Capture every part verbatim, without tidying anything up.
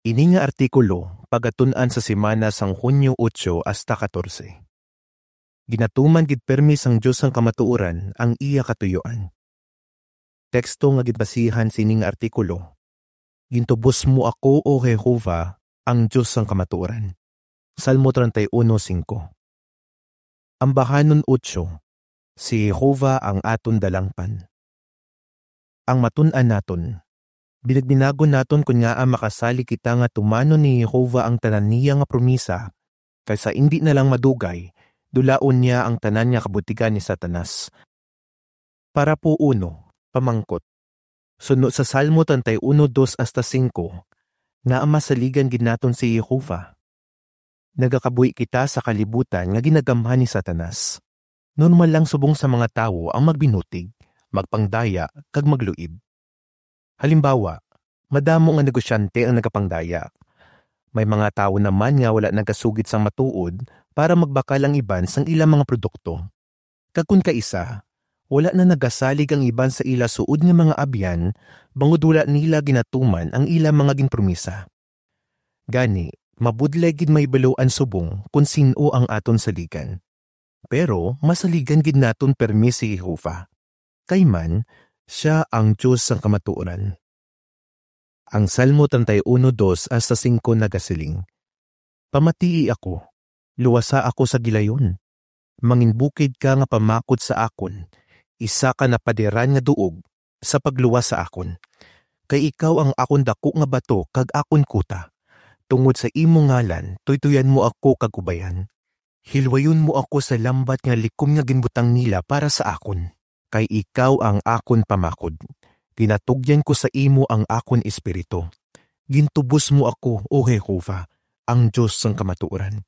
Ini nga artikulo pagatun-an sa semana sang Hunyo otso hasta katorse. Ginatuman gid permi sang Dios sang kamatuoran ang iya katuyuan. Teksto nga ginbasihan sining artikulo: Gintubos mo ako, O Jehovah, ang Dios sang kamatuoran. Salmo treinta y uno cinco. Ambahanon otso, si Jehovah ang aton dalangpan. Ang matun-an naton, binagbinagon naton kon ngaa makasalig kita nga tumanon ni Jehovah ang tanan niya nga promisa, kay sa indi na lang madugay, dulaon niya ang tanan nga kabutigan ni Satanas. Parapo uno, pamangkot. Suno sa Salmo treinta y uno dos hasta singko, ngaa masaligan gid naton si Jehovah? Nagakabuhi kita sa kalibutan nga ginagamhan ni Satanas. Normal lang subong sa mga tawo ang magbinutig, magpangdaya, kag magluib. Halimbawa, madamo nga negosyante ang nagapangdaya. May mga tawo naman nga wala nagasugid sang matuod para magbakal ang iban sang ilang mga produkto. Kag kon kaisa, wala na nagasalig ang iban sa ila suod nga mga abyan, bangod wala nila ginatuman ang ila mga ginpromisa. Gani, mabudlay gid mahibaluan subong kon sin-o ang aton saligan. Pero masaligan gid naton permi si Jehovah, kay man, sia ang Dios sang kamatuoran. Ang Salmo treinta y uno dos hasta singko nagasiling: Pamatii ako, luwasa ako sa gilayon. Manginbukid ka nga pamakod sa akon, isa ka napadiran nga duog sa pagluwas sa akon. Kay ikaw ang akon daku nga bato kag akon kuta. Tungod sa imo ngalan, tuytuyan mo ako kag ubayan. Hilwayon mo ako sa lambat nga likom nga ginbutang nila para sa akon. Kay ikaw ang akon pamakod. Ginatugyan ko sa imo ang akon espiritu. Gintubos mo ako, O Jehovah, ang Dios sang kamatuoran.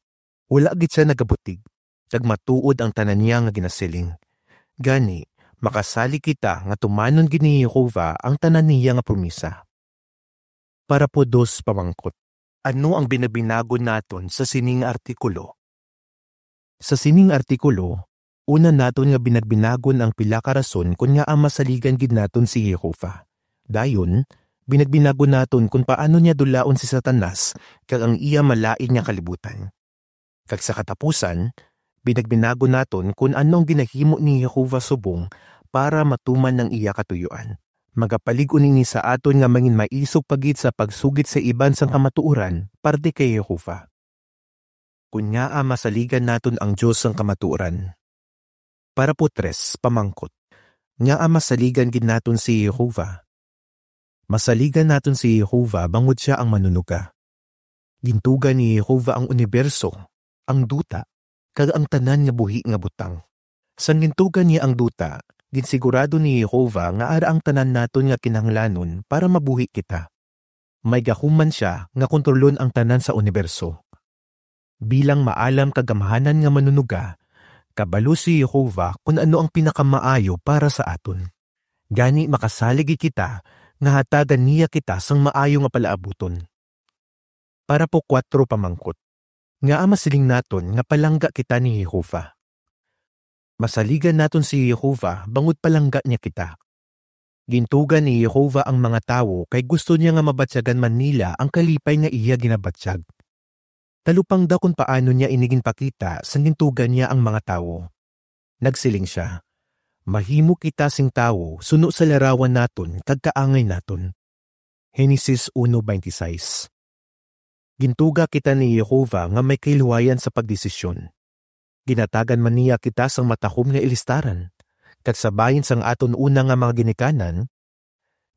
Wala gid sia nagabutig, kag matuod ang tanan niya nga ginasiling. Gani, makasalig kita nga tumanon gid ni Jehovah ang tanan niya nga promisa. Parapo dos, pamangkot. Ano ang binabinagon naton sa sini nga artikulo? Sa sining artikulo, una naton nga binagbinagon ang pila ka rason kon ngaa masaligan gid naton si Jehovah. Dayon, binagbinagon naton kon paano niya dulaon si Satanas kag ang iya malain nga kalibutan. Kag sa katapusan, binagbinagon naton kon ano ang ginahimo ni Jehovah subong para matuman ang iya katuyuan. Magapalig-on ini sa aton nga manginmaisog pa gid sa pagsugid sa iban sang kamatuoran parte kay Jehovah. Kon ngaa masaligan naton ang Dios sang kamatuoran. Parapo tres, pamangkot. Ngaa masaligan gid naton si Jehovah? Masaligan naton si Jehovah bangod sia ang Manunuga. Gintuga ni Jehovah ang uniberso, ang duta, kag ang tanan nga buhi nga butang. Sang gintuga niya ang duta, ginsigurado ni Jehovah nga ara ang tanan naton nga kinahanglanon para mabuhi kita. May gahuman sia nga kontrolon ang tanan sa uniberso. Bilang maalam kag gamhanan nga Manunuga, kabalo si Jehovah kon ano ang pinakamaayo para sa aton. Gani, makasalig gid kita nga hatagan niya kita sang maayo nga palaabuton. Parapo kuwatro, pamangkot. Ngaa masiling naton nga palangga kita ni Jehovah? Masaligan naton si Jehovah bangod palangga niya kita. Gintuga ni Jehovah ang mga tawo kay gusto niya nga mabatyagan man nila ang kalipay nga iya ginabatyag. Talupangda kon paano niya ini ginpakita sang gintuga niya ang mga tawo. Nagsiling sia, "Mahimo kita sing tawo suno sa larawan naton kag kaangay naton." Henesis uno veintiséis. Gintuga kita ni Jehovah nga may kahilwayan sa pagdesisyon. Ginatagan man niya kita sang matahom nga ilistaran, kag sa bahin sang aton una nga mga ginikanan,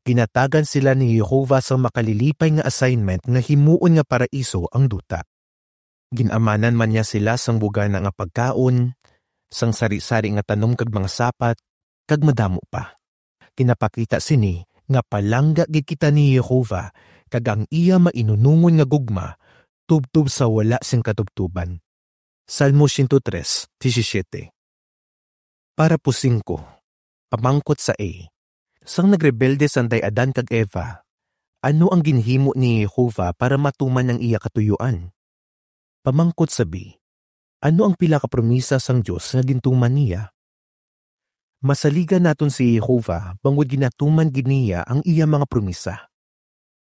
ginatagan sila ni Jehovah sang makalilipay nga assignment nga himuon nga paraiso ang duta. Gin-amanan man niya sila sang bugana nga pagkaon, sang sari-sari nga tanom kag mga sapat, kag madamo pa. Ginapakita sini nga palangga gid kita ni Jehovah kag ang iya mainunungon nga gugma tubtob sa wala sing katubtoban. Salmo siyento tres, disisiete. Parapo singko. Pamangkot sa A. Sang nagrebelde sanday Adan kag Eva, ano ang ginhimo ni Jehovah para matuman ang iya katuyuan? Pamangkot sa B. Ano ang pila ka promisa sang Dios nga gintuman niya? Masaligan naton si Jehovah bangod ginatuman gid niya ang iya mga promisa.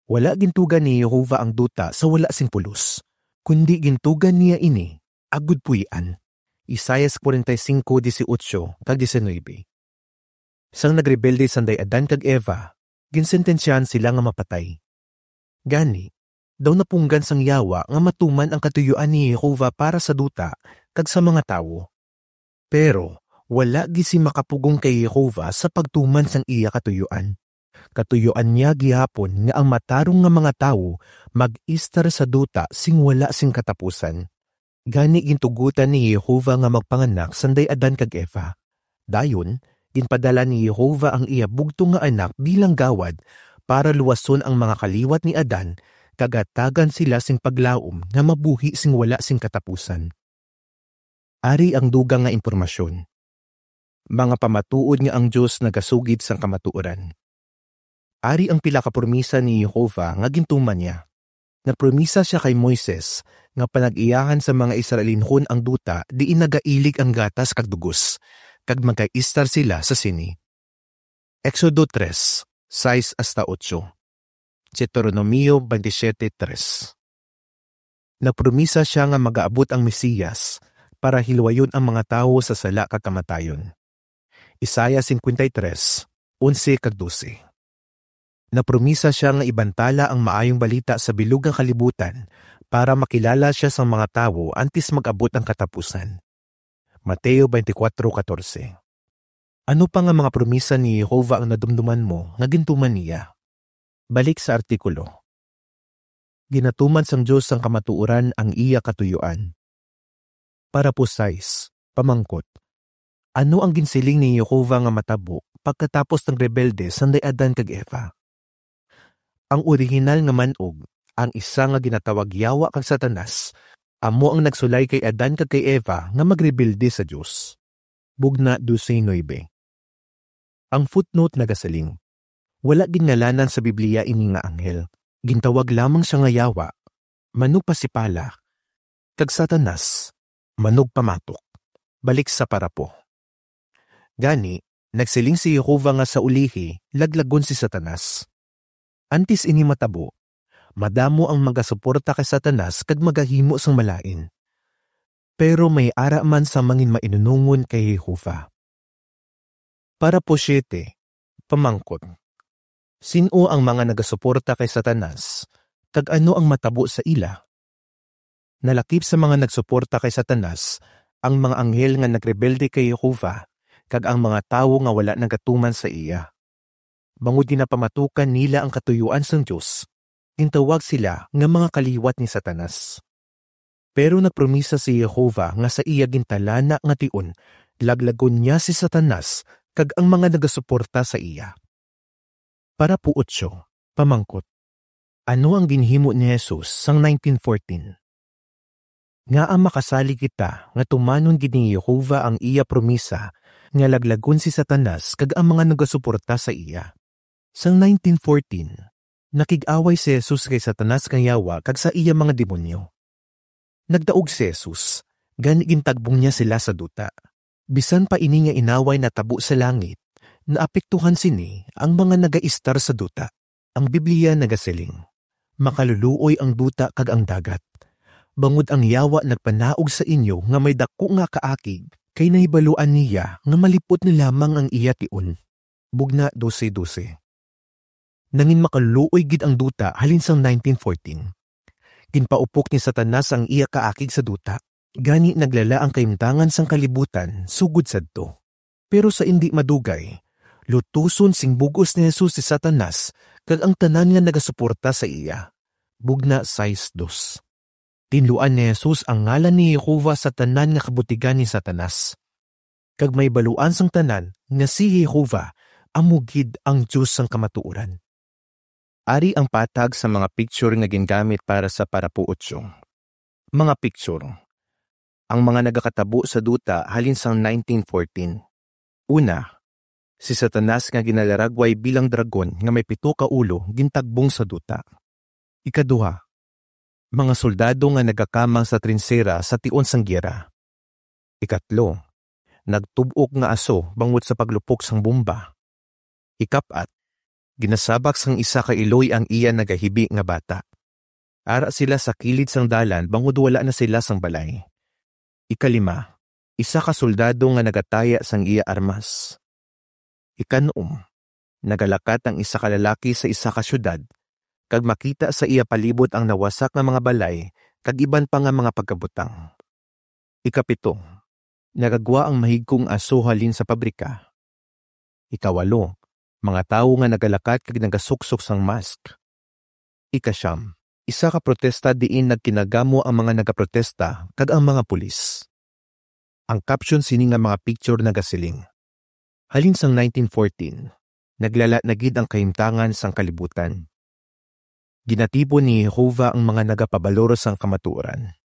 Wala gintuga ni Jehovah ang duta sa wala sing pulos, kundi gintuga niya ini agud puy-an. Isaias forty-five dieciocho kag diecinuebe. Sang nagrebelde sanday Adan kag Eva, ginsentensyahan sila nga mapatay. Gani, daw napunggan sang Yawa nga matuman ang katuyuan ni Jehovah para sa duta kag sa mga tawo. Pero wala gid si makapugong kay Jehovah sa pagtuman sang iya katuyuan. Katuyuan niya gihapon nga ang matarong nga mga tawo mag-istar sa duta sing wala sing katapusan. Gani gintugotan ni Jehovah nga magpanganak sanday Adan kag Eva. Dayon, ginpadala ni Jehovah ang iya bugtong nga Anak bilang gawad para luwason ang mga kaliwat ni Adan kag hatagan sila sing paglaom nga mabuhi sing wala sing katapusan. Ari ang dugang nga impormasyon. Mga pamatuod nga ang Dios nagasugid sang kamatuoran. Ari ang pila ka promisa ni Jehovah nga gintuman niya. Nagpromisa sia kay Moises nga panag-iyahan sa mga Israelinhon ang duta diin nagailig ang gatas kag dugos, kag magaistar sila sa sini. Exodo tres, sais hasta otso. Deuteronomio twenty-seven tres. Nagpromisa sia nga magaabot ang Mesiyas para hilwayon ang mga tawo sa sala kag kamatayon. Isaiah fifty-three, onse kag dose. Napromisa sia nga ibantala ang Maayong Balita sa bilog nga kalibutan para makilala sia sang mga tawo antes mag-abot ang katapusan. Mateo twenty-four catorce. Ano pa nga mga promisa ni Jehovah ang nadumduman mo nga gintuman niya? Balik sa artikulo. Ginatuman sang Dios sang kamatuoran ang iya katuyuan. Parapo sais, pamangkot. Ano ang ginsiling ni Jehovah nga matabo pagkatapos nagrebelde sanday Adan kag Eva? Ang orihinal nga man-og, ang isa nga ginatawag Yawa kag Satanas, amo ang nagsulay kay Adan kag kay Eva nga magrebelde sa Dios. Bugna dose nuebe. Ang footnote nagasiling, wala gingalanan sa Biblia ini nga anghel. Gintawag lamang sia nga Yawa, manugpasipala, kag Satanas, manugpamatok. Balik sa parapo. Gani, nagsiling si Jehovah nga sa ulihi, laglagon si Satanas. Antes ini matabo, madamo ang magasuporta kay Satanas kag magahimo sang malain. Pero may ara man sa mangin mainunongon kay Jehovah. Parapo siete, pamangkot. Sin-o ang mga nagasuporta kay Satanas, kag ano ang matabo sa ila? Nalakip sa mga nagsuporta kay Satanas ang mga anghel nga nagrebelde kay Jehovah, kag ang mga tawo nga wala nagatuman sa iya. Bangod ginapamatukan nila ang katuyuan sang Dios, gintawag sila nga mga kaliwat ni Satanas. Pero nagpromisa si Jehovah nga sa iya gintalana nga tion, laglagon niya si Satanas kag ang mga nagasuporta sa iya. Parapo otso, pamangkot. Ano ang ginhimo ni Jesus sang nineteen fourteen? Ngaa makasalig kita nga tumanon gid ni Jehovah ang iya promisa nga laglagon si Satanas kag ang mga nagasuporta sa iya? Sang nineteen fourteen, nakig-away si Jesus kay Satanas nga yawa kag sa iya mga demonyo. Nagdaog si Jesus, gani gintagbong niya sila sa duta. Bisan pa ini nga inaway natabo sa langit, naapektuhan sini ang mga nagaistar sa duta. Ang Biblia nagasiling, "Makaluluoy ang duta kag ang dagat, bangod ang yawa nagpanaog sa inyo nga may daku nga kaakig, kay nahibaluan niya nga malipot na lamang ang iya tion." Bugna dose dose. Nangin makaluluoy gid ang duta halin sang nineteen fourteen. Ginpaupok ni Satanas ang iya kaakig sa duta, gani naglala ang kahimtangan sang kalibutan sugod sadto. Pero sa indi madugay, lutuson sing bug-os ni Jesus si Satanas kag ang tanan nga nagasuporta sa iya. Bugna sais dos. Tinluan ni Jesus ang ngalan ni Jehovah sa tanan nga kabutigan ni Satanas, kag mahibaluan sang tanan nga si Jehovah amo gid ang Dios sang kamatuoran. Ari ang patag sa mga picture nga gingamit para sa parapo otso. Mga picture. Ang mga nagakatabo sa duta halin sang nineteen fourteen. Una, si Satanas nga ginalaragway bilang dragon nga may pito ka ulo gintagbong sa duta. Ikaduha, mga soldado nga nagakamang sa trinsera sa tion sang giyera. Ikatlo, nagtub-ok nga aso bangod sa paglupok sang bomba. Ikap-at, ginasabak sang isa ka iloy ang iya nagahibi nga bata. Ara sila sa kilid sang dalan bangod wala na sila sang balay. Ikalima, isa ka soldado nga nagataya sang iya armas. Ikanom, nagalakat ang isa ka lalaki sa isa ka siyudad, kag makita sa iya palibot ang nawasak nga mga balay kag iban pa nga mga pagkabutang. Ikapito, nagagwa ang mahigkong aso halin sa pabrika. Ikawalo, mga tawo nga nagalakat kag nagasuksok sang mask. Ikasiyam, isa ka protesta diin nagkinagamo ang mga nagaprotesta kag ang mga pulis. Ang caption sini nga mga picture nagasiling, "Halin sang nineteen fourteen, naglala na gid ang kahimtangan sang kalibutan. Ginatipon ni Jehovah ang mga nagapabalor sang kamatuoran."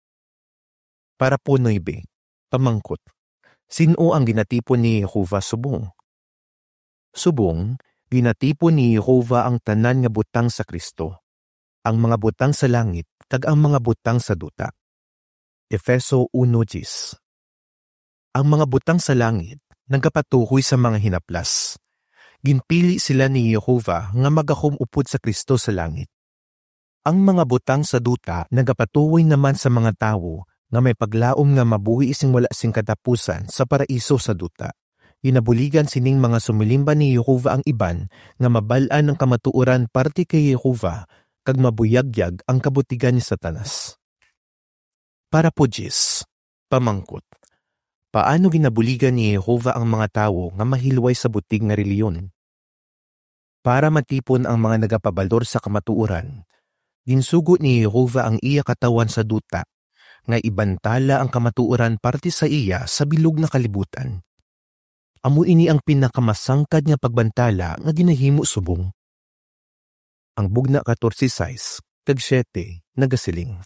Parapo nuebe, pamangkot, sin-o ang ginatipon ni Jehovah subong? Subong, ginatipon ni Jehovah ang tanan nga butang sa Cristo, ang mga butang sa langit kag ang mga butang sa duta. Efeso uno diyes. Ang mga butang sa langit nagapatuhoy sa mga hinaplas. Ginpili sila ni Jehovah nga magakom upod sa Cristo sa langit. Ang mga butang sa duta nagapatuhoy naman sa mga tawo nga may paglaom nga mabuhi sing wala sing katapusan sa paraiso sa duta. Ginabuligan sining mga sumilimba ni Jehovah ang iban nga mabal-an ang kamatuoran parte kay Jehovah kag mabuyagyag ang kabutigan ni Satanas. Parapo diyes, pamangkot, paano ginabuligan ni Jehovah ang mga tawo nga mahilway sa butig nga relihiyon? Para matipon ang mga nagapabalor sa kamatuoran, ginsugo ni Jehovah ang iya katawhan sa duta, nga ibantala ang kamatuoran parte sa iya sa bilog nga kalibutan. Amo ini ang pinakamasangkad nga pagbantala nga ginahimo subong. Ang Bugna katorse sais kag siete nagasiling,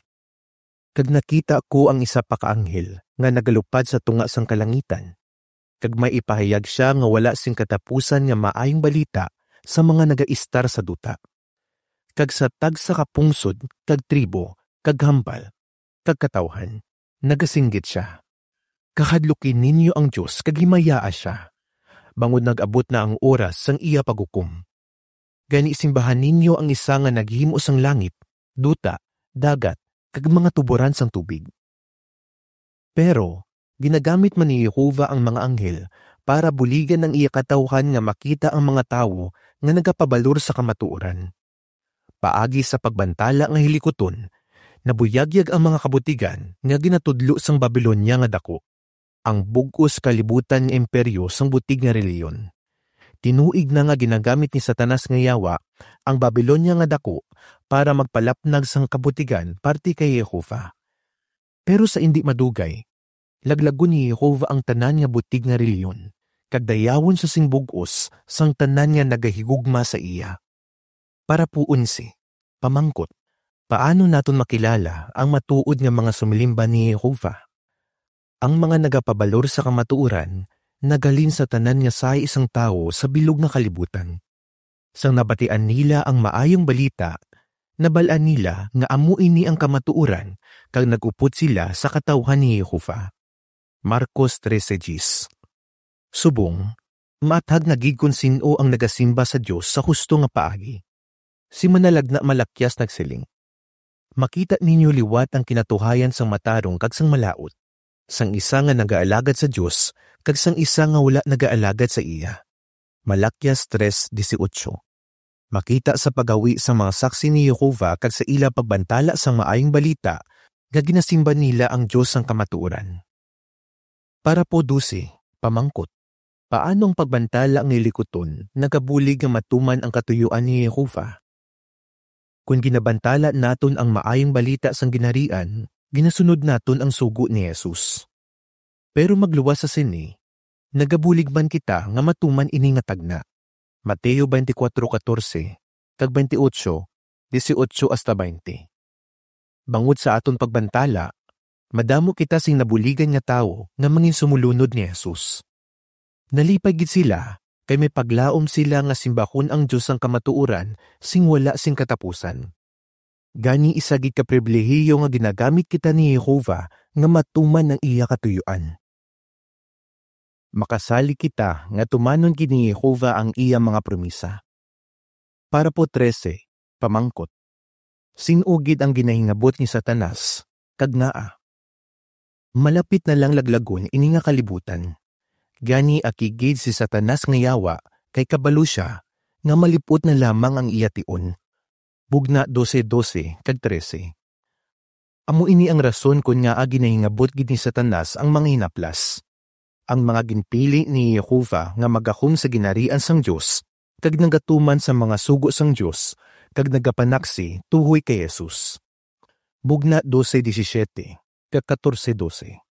"Kag nakita ko ang isa pa ka anghel nga nagalupad sa tunga sang kalangitan, kag may ipahayag sia nga wala sing katapusan nga maayong balita sa mga nagaistar sa duta, kag sa tagsa ka pungsod, kag tribo, kag hambal, kag katawhan." Nagasinggit sia, "Kahadluki ninyo ang Dios kag himayaa sia, bangod nag-abot na ang oras sang iya paghukom. Gani, simbahan ninyo ang isa nga naghimo sang langit, duta, dagat, kag mga tuboran sang tubig." Pero ginagamit man ni Jehovah ang mga anghel para buligan ang iya katawhan nga makita ang mga tawo nga nagapabalor sa kamatuoran. Paagi sa pagbantala nga hilikuton, nabuyagyag ang mga kabutigan nga ginatudlo sang Babilonia nga Dako, ang bug-os kalibutan nga imperyo sang butig nga relihiyon. Tinuig na nga ginagamit ni Satanas nga yawa ang Babilonia nga Dako para magpalapnag sang kabutigan parte kay Jehovah. Pero sa indi madugay, laglagon ni Jehovah ang tanan nga butig nga relihiyon, kag dayawon sa sing bug-os sang tanan nga nagahigugma sa iya. Parapo onse, pamangkot, paano naton makilala ang matuod nga mga sumilimba ni Jehovah? Ang mga nagapabalor sa kamatuoran naghalin sa tanan nga sahi sang tawo sa bilog nga kalibutan. Sang nabatian nila ang maayong balita, nabal-an nila nga amo ini ang kamatuoran, kag nag-upod sila sa katawhan ni Jehovah. Marcos trese diyes. Subong, maathag na gid kon sin-o ang nagasimba sa Dios sa husto nga paagi. Si Manalagna Malaquias nagsiling, "Makita ninyo liwat ang kinatuhayan sang matarong kag sang malaut, sang isa nga nagaalagad sa Dios kag sang isa nga wala nagaalagad sa iya." Malaquias tres dieciocho. Makita sa paggawi sang mga saksi ni Jehovah kag sa ila pagbantala sang maayong balita nga ginasimba nila ang Dios sang kamatuoran. Parapo dose, pamangkot, paano ang pagbantala nga hilikuton nagabulig nga matuman ang katuyuan ni Jehovah? Kon ginabantala naton ang maayong balita sang Ginharian, ginasunod naton ang sugo ni Jesus. Pero magluwas sa sini, nagabulig man kita nga matuman ini nga tagna. Mateo twenty-four catorce kag twenty-eight, dieciocho hasta veinte. Bangod sa aton pagbantala, madamo kita sing nabuligan nga tawo nga manginsumulunod ni Jesus. Nalipay gid sila, kay may paglaom sila nga simbahon ang Dios sang kamatuoran sing wala sing katapusan. Gani, isa gid ka pribilehiyo nga ginagamit kita ni Jehovah nga matuman ang iya katuyuan. Makasalig kita nga tumanon gid ni Jehovah ang iya mga promisa. Parapo trese, pamangkot. Sin-o gid ang ginahingabot ni Satanas, kag ngaa? Malapit na lang laglagon ini nga kalibutan. Gani, aki gid si Satanas nga yawa, kay kabalo sia nga malip-ot na lamang ang iya tion. Bugna dose dose kag trese. Amo ini ang rason kon ngaa ginahingabot gid ni Satanas ang mga hinaplas. Ang mga ginpili ni Jehovah nga magahom sa ginharian sang Dios, kag nagatuman sa mga sugo sang Dios, kag nagapanaksi tuhoy kay Jesus. Bugna dose disisiete kag katorse dose.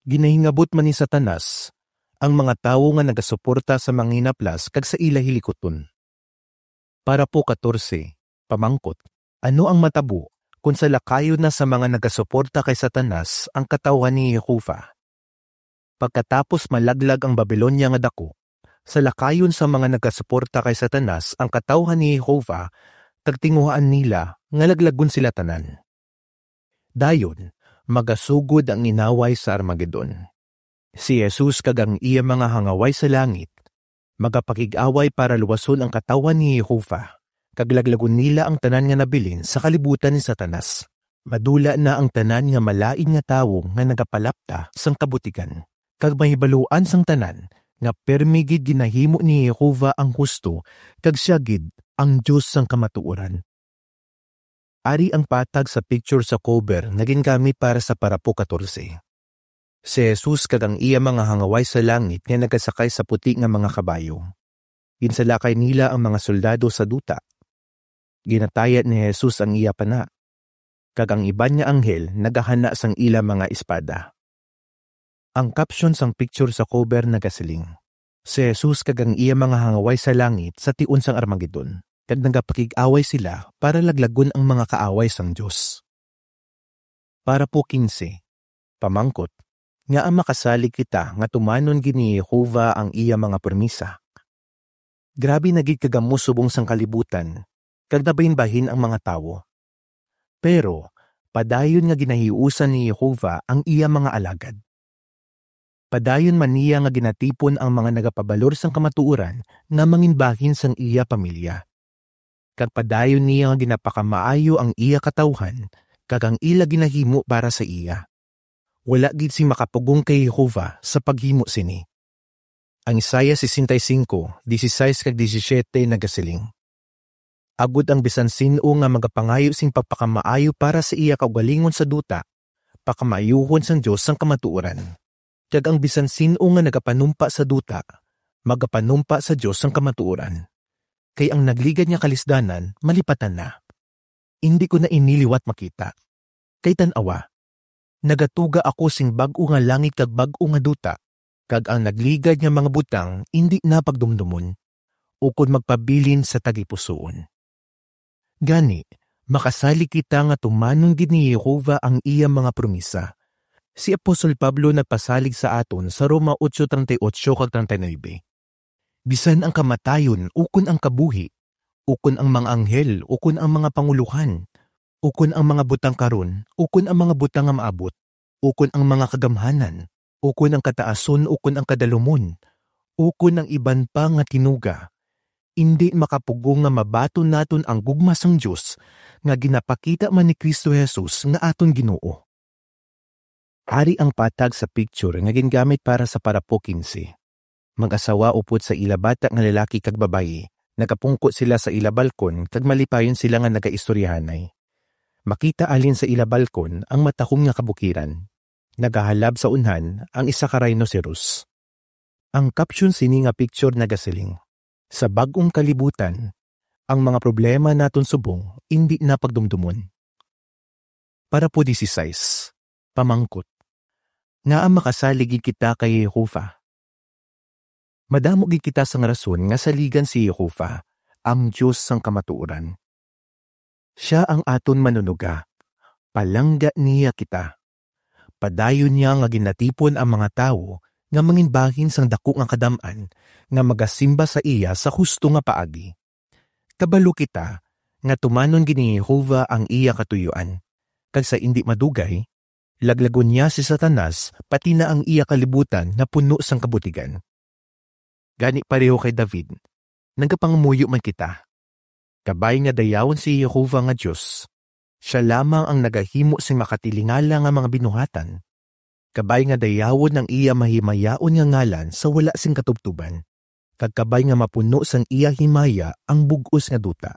Ginahingabot man ni Satanas ang mga tawo nga nagasuporta sa mga hinaplas kag sa ila hilikuton. Parapo katorse, pamangkot. Ano ang matabo kon salakayon na sa mga nagasuporta kay Satanas ang katawhan ni Jehovah? Pagkatapos malaglag ang Babilonia nga daku, salakayon sa mga nagasuporta kay Satanas ang katawhan ni Jehovah, kag tinguhaan nila nga laglagon sila tanan. Dayon, magasugod ang inaway sa Armagedon. Si Jesus kag ang iya mga hangaway sa langit magapakig-away para luwason ang katawhan ni Jehovah, kag laglagon nila ang tanan nga nabilin sa kalibutan ni Satanas. Madula na ang tanan nga malain nga tawo nga nagapalapta sang kabutigan, kag mahibaluan sang tanan nga pirme gid ginahimo ni Jehovah ang husto, kag sia gid ang Dios sang kamatuoran. Ari ang patag sa picture sa cover nga gingamit para sa parapo katorse. Si Jesus kag ang iya mga hangaway sa langit nga nagasakay sa puti nga mga kabayo. Ginsalakay nila ang mga soldado sa duta. Ginatayad ni Jesus ang iya pana, kag ang iban nga anghel nagahana sang ila mga espada. Ang caption sang picture sa cover nagasiling, "Si Jesus kag ang iya mga hangaway sa langit sa tion sang Armagedon, kag nagapakig-away sila para laglagon ang mga kaaway sang Dios." Parapo kinse, pamangkot, ngaa makasalig kita nga tumanon gid ni Jehovah ang iya mga promisa? Grabe na gid kagamo subong sang kalibutan, kag nabahinbahin ang mga tawo. Pero padayon nga ginahiusan ni Jehovah ang iya mga alagad. Padayon man niya nga ginatipon ang mga nagapabalor sang kamatuoran nga manginbahin sang iya pamilya. Kag padayon niya nga ginapakamaayo ang iya katawhan kag ang ila ginahimo para sa iya. Wala gid sing makapugong kay Jehovah sa paghimo sini. Ang Isaiah sesenta y cinco, dieciséis kag diecisiete nagasiling, "Agod ang bisan sin-o nga magapangayo sing pagpakamaayo para sa iya kaugalingon sa duta, pakamaayuhon sang Dios sang kamatuoran. Kag ang bisan sin-o nga nagapanumpa sa duta, magapanumpa sa Dios sang kamatuoran. Kay ang nagligad nga kalisdanan malipatan na. Indi ko na ini liwat makita. Kay tan-awa, nagatuga ako sing bag-o nga langit kag bag-o nga duta, kag ang nagligad nga mga butang indi na pagdumdomon, ukon magpabilin sa tagipusoon." Gani, makasalig kita nga tumanon gid ni Jehovah ang iya mga promisa. Si Apostol Pablo nagpasalig sa aton sa Roma ocho treinta y ocho kag treinta y nuebe, "Bisan ang kamatayon ukon ang kabuhi, ukon ang mga anghel ukon ang mga pangulohan, ukon ang mga butang karon ukon ang mga butang nga maabot, ukon ang mga kagamhanan, ukon ang kataason ukon ang kadalumon, ukon ang iban pa nga tinuga, indi makapugong nga mabaton naton ang gugma sang Dios nga ginapakita man ni Cristo Jesus nga aton Ginoo." Ari ang patag sa picture nga gingamit para sa parapo kinse. Mag-asawa upod sa ila bata nga lalaki kag babayi, nagapungko sila sa ila balkon kag malipayon sila nga nagaistoryahanay. Makita halin sa ila balkon ang matahom nga kabukiran. Nagahalab sa unhan ang isa ka rhinoceros. Ang caption sini nga picture nagasiling, "Sa bag-ong kalibutan, ang mga problema naton subong indi na pagdumdomon." Parapo dieciséis, pamangkot, ngaa makasalig gid kita kay Jehovah? Madamo gid kita sang rason nga saligan si Jehovah, ang Dios sang kamatuoran. Sia ang aton Manunuga. Palangga niya kita. Padayon niya nga ginatipon ang mga tawo nga manginbahin sang daku nga kadam-an nga magasimba sa iya sa husto nga paagi. Kabalo kita nga tumanon gid ni Jehovah ang iya katuyoan, kag sa indi madugay, laglagon niya si Satanas pati na ang iya kalibutan nga puno sang kabutigan. Gani, pareho kay David, nagapangamuyo man kita, Kabay nga dayawon si Jehovah nga Dios. Sia lamang ang nagahimo sing makatilingala nga mga binuhatan. Kabay nga dayawon ang iya mahimayaon nga ngalan sa wala sing katubtuban, kag kabay nga mapuno sang iya himaya ang bug-os nga duta.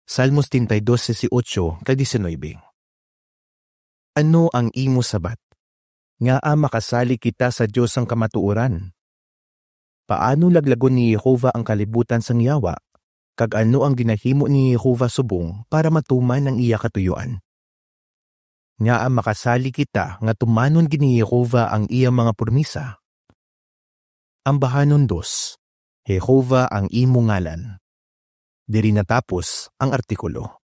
Salmo setenta y dos, dieciocho kag diecinuebe. Ano ang imo sabat? Ngaa makasalig kita sa Dios sang kamatuoran? Paano laglagon ni Jehovah ang kalibutan sang yawa, kag ano ang ginahimo ni Jehovah subong para matuman ang iya katuyuan? Ngaa makasalig kita nga tumanon gid ni Jehovah ang iya mga promisa? Ambahanon dos, Jehovah ang imo ngalan. Diri natapos ang artikulo.